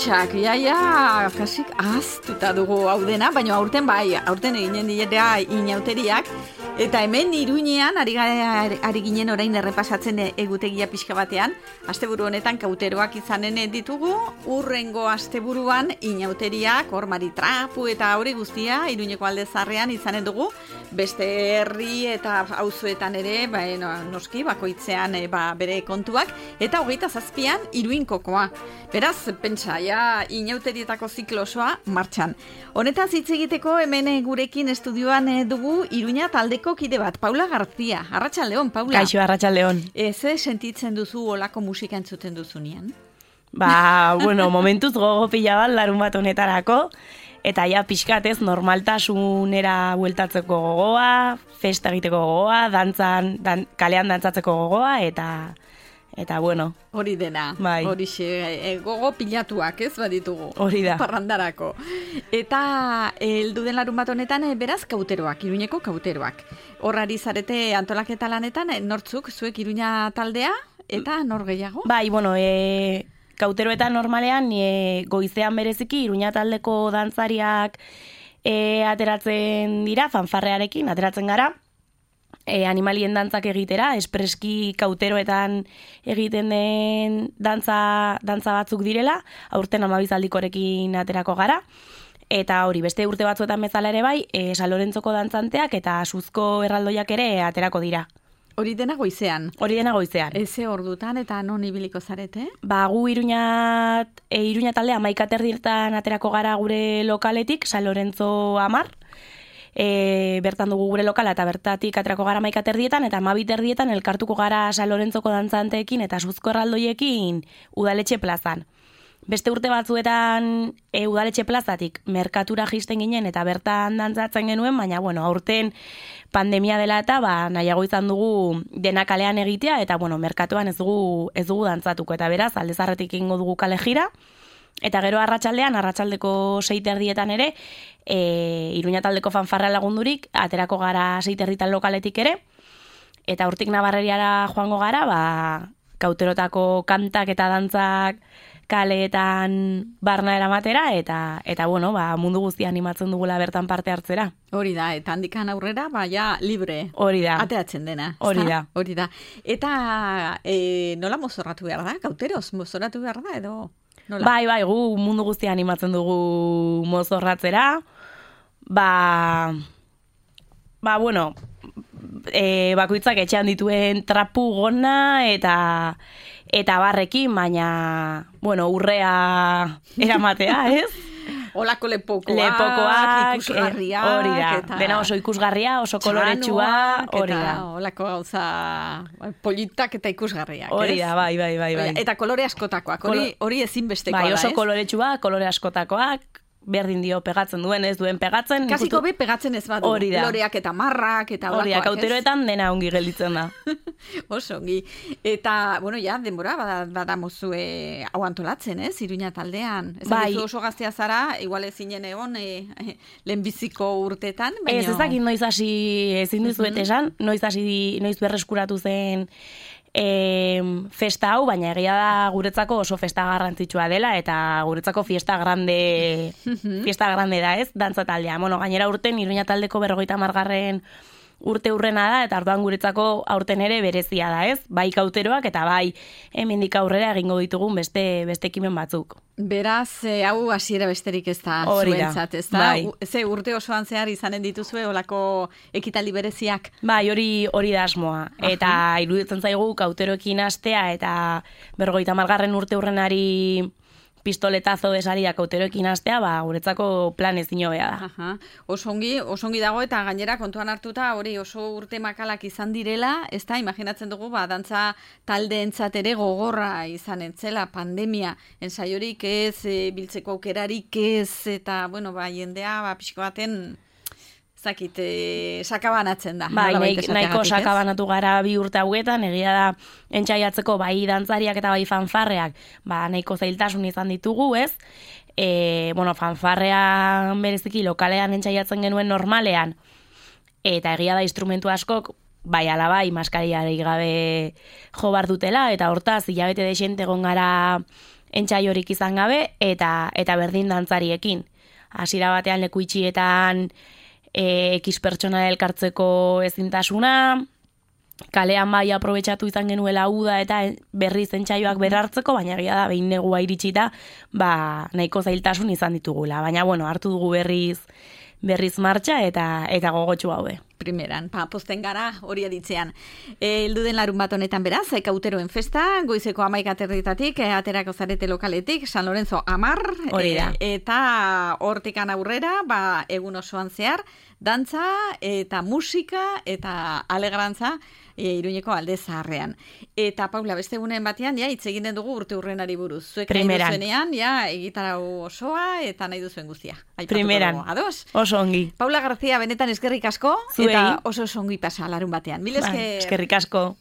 pentsak, kasik ahaztuta dugu hau dena, baina aurten eginen dira inauteriak, eta hemen Iruñean ari ginen orain errepasatzen egutegia pixka batean, asteburu honetan kauteroak izanen ditugu, urrengo asteburuan inauteriak, hor Maritrapu eta hori guztia, Iruñeko alde zarrean izanen dugu, beste herri eta auzoetan ere, noski, bakoitzean bere kontuak, eta 27an Iruinkokoa. Beraz, pentsa, inauterietako ziklo osoa martxan. Honetaz hitz egiteko hemen gurekin estudioan dugu Iruña taldeko kide bat, Paula García. Arratsaldeon, Paula. Kaixo, arratsaldeon. Ze sentitzen duzu olako musika entzuten duzunean? Momentuz gogo pila bat larun bat honetarako, eta pixkatez normaltasunera bueltatzeko gogoa, festa egiteko gogoa, kalean dantzatzeko gogoa, eta bueno. Hori dena, bai. Horixe, gogo pilatuak ez baditugu. Hori da. Parrandarako. Eta heldu den larun bat honetan, beraz kauteroak, Iruñeko kauteroak. Horrari zarete antolaketa lanetan, nortzuk, zuek Iruña taldea, eta nor gehiago? Kauteroetan normalean, goizean bereziki, Iruña taldeko dantzariak ateratzen dira, fanfarrearekin ateratzen gara, animalien dantzak egitera, espreski kauteroetan egiten den dantza batzuk direla, aurten 12 aldikorekin aterako gara, eta hori, beste urte batzuetan bezala ere bai, San Lorentzoko dantzanteak eta Suzko erraldoiak ere aterako dira. Hori dena goizean? Hori dena goizean. Eze ordutan eta non ibiliko zarete? Gu Iruña taldea 11:30 aterako gara gure lokaletik, San Lorentzo 10, bertan dugu gure lokala eta bertatik aterako gara 11:30 eta 12:30 elkartuko gara San Lorentzoko dantzanteekin eta Suzko erraldoiekin Udaletxe plazan. Beste urte batzuetan Udaletxe plazatik merkatura jisten ginen eta bertan dantzatzen genuen, baina aurten pandemia dela eta nahiago izan dugu dena kalean egitea eta merkatuan ez dugu dantzatuko eta beraz aldezarretik egingo dugu kale jira. Eta gero arratsaldeko 6:30 ere, Iruña taldeko fanfarra lagundurik, aterako gara 6:30 lokaletik ere, eta hortik Nabarreriara joango gara, kauterotako kantak eta dantzak kaleetan barna eramatera, eta mundu guztia animatzen dugula bertan parte hartzera. Hori da, eta handikan aurrera, libre. Hori da. Ateatzen dena. Hori da. Eta nola mozorratu behar da? Kauteroz mozorratu behar da, edo? Nola? Bai, gu mundu guztia animatzen dugu mozorratzera. Bakoitzak etxean dituen trapu gona eta barrekin, baina, urrea eramatea, ez? Olako lepokoak, ikusgarriak. Hori da, dena oso ikusgarria, oso koloretsua, hori da. Olako gauza politak eta ikusgarriak, ez? Hori da, bai. Eta kolore askotakoak, hori ezinbestekoa da, ez? Bai, oso koloretsua, kolore askotakoak, berdin dio pegatzen duen, ez duen pegatzen. Kasiko be pegatzen ez badu. Hori da. Loreak eta marrak eta olakoak, ez? Hori da, kauteroetan dena ongi gelditzen da. Oso ongi. Eta, denbora badamozue hau antolatzen, ez? Iruña taldean. Ez dakizu oso gaztea zara, igual ezinen egon lehenbiziko urtetan. Ez dakit noiz hasi ezin dizuet esan, noiz berreskuratu zen festa hau, baina egia da guretzako oso festa garrantzitsua dela eta guretzako fiesta grande da, ez? Dantza taldea. Gainera urten Iruña taldeko 50. urte urrena da eta orduan guretzako aurten ere berezia da, ez? Bai kauteroak eta bai hemendik aurrera egingo ditugun beste ekimen batzuk. Beraz, hau hasiera besterik ez da zuentzat, ez da? Bai. Ze urte osoan zehar izanen dituzue olako ekitaldi bereziak? Bai, hori da asmoa. Eta iruditzen zaigu kauteroekin hastea eta 50. urte urrenari pistoletazo de salida kauteroekin hastea, guretzako plan ezin hobea da. Oso ongi dago eta gainera kontuan hartuta hori oso urte makalak izan direla, ez da, imaginatzen dugu, dantza taldeentzat ere gogorra izan entzela pandemia, ensaiorik ez, biltzeko aukerarik ez, eta, jendea, pixko baten sakabanatzen da. Nahiko sakabanatu gara 2 urte hauetan, egia da entzaiatzeko bai dantzariak eta bai fanfarreak, nahiko zailtasun izan ditugu, ez? Fanfarrean bereziki lokalean entzaiatzen genuen normalean, eta egia da instrumentu askok, bai ala bai, maskariarik gabe jo bar dutela, eta hortaz, hilabete desente egon gara entsaiorik izan gabe, eta berdin dantzariekin. Hasiera batean leku itxietan X pertsona elkartzeko ezintasuna, kalean bai aprobetxatu izan genuela uda eta berriz entsaioak berartzeko, baina egia da behin negua iritsita, nahiko zailtasun izan ditugula. Baina bueno, hartu dugu berriz martxa eta gogotsu haude. Primeran, pozten gara hori aditzean. Heldu den larun bat honetan beraz, Kauteroen festa, goizeko 11:00 aterako zarete lokaletik, San Lorenzo 10, hori da. Eta hortikan aurrera, egun osoan zehar, dantza eta musika eta alegrantza Iruñeko Alde Zaharrean. Eta Paula, beste egunen batean, hitz egin den dugu urte urrenari buruz. Zuek nahi duzuenean, egitarau osoa eta nahi duzuen guztia. Primeran, oso ongi. Paula García, benetan eskerrik asko, eta oso ongi pasa larun batean. Mil esker. Eskerrik asko.